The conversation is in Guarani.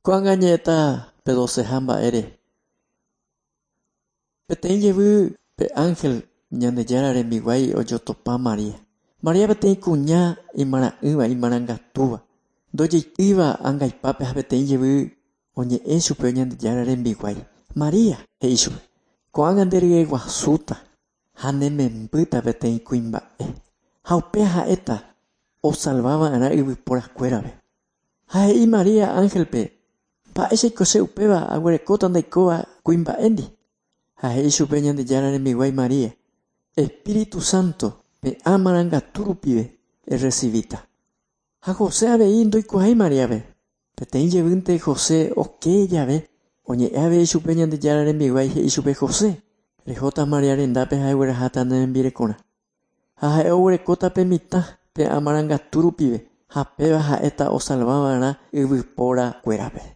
Ko'ág̃a añe'ẽta pe doceha mba'ére. Peteĩ jevy pe ánhel Ñandejára rembiguái ojotopa María. María peteĩ kuña imarã'ỹva, imarangatúva, ndojeitýiva angaipápe ha peteĩ jevy oñe'ẽ chupe Ñandejára rembiguái. María, he'i chupe, ko'ág̃a nde ryeguasúta ha ne membýta peteĩ kuimba'e. Ha upéva ha'éta osalvava'erã yvyporakuérape. Ha he'i María ánhelpe, mba'éichaiko che upéva aguerekóta ndaikóva kuimba'éndi. Ha he'i chupe Ñandejára rembiguái María, Espíritu Santo pe amarangatu rupive errecibíta. Ha José avei ndoikuaái Maríape. Peteĩ jevýnte José oke jave oñe'ẽ avei chupe Ñandejára rembiguái he'i chupe José, rehóta María rendápe ha egueraháta ne rembirekorã. Ha ha'e oguerekóta pe mitã pe amarangatu rupive ha péva ha'éta osalvava'erã yvyporakuérape.